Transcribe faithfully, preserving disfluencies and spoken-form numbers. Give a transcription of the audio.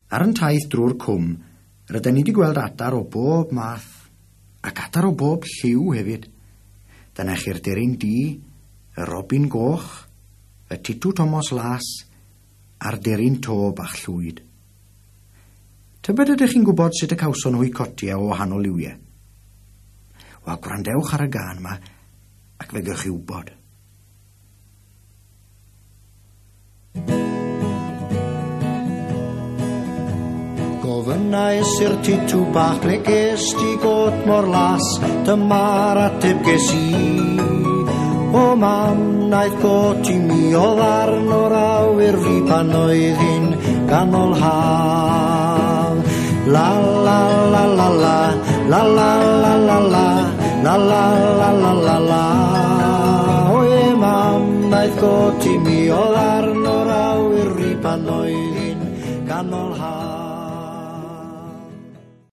Ar yn taith drwy'r cwm, rydyn ni wedi gweld adar o bob math, ac adar o bob lliw hefyd. Dyna chi'r deryn du, y robin goch, y titw Tomos las, a'r deryn to bach llwyd. Tybed ydych chi'n gwybod sut y cawson nhw eu cotiau o wahanol liwiau? Wel, gwrandewch ar y gân yma, ac fe gewch chi wybod. Gofynnais i'r titw bach ble ges di got mor las, dyma'r ateb ges i. O mam, naeth got i mi o ddarn o'r awyr fi pan oedd hi'n ganol haf. La la la la la, la la la la la, la la la la la la. O e mam, naeth got i mi o ddarn o'r awyr fi pan oedd hi'n ganol haf.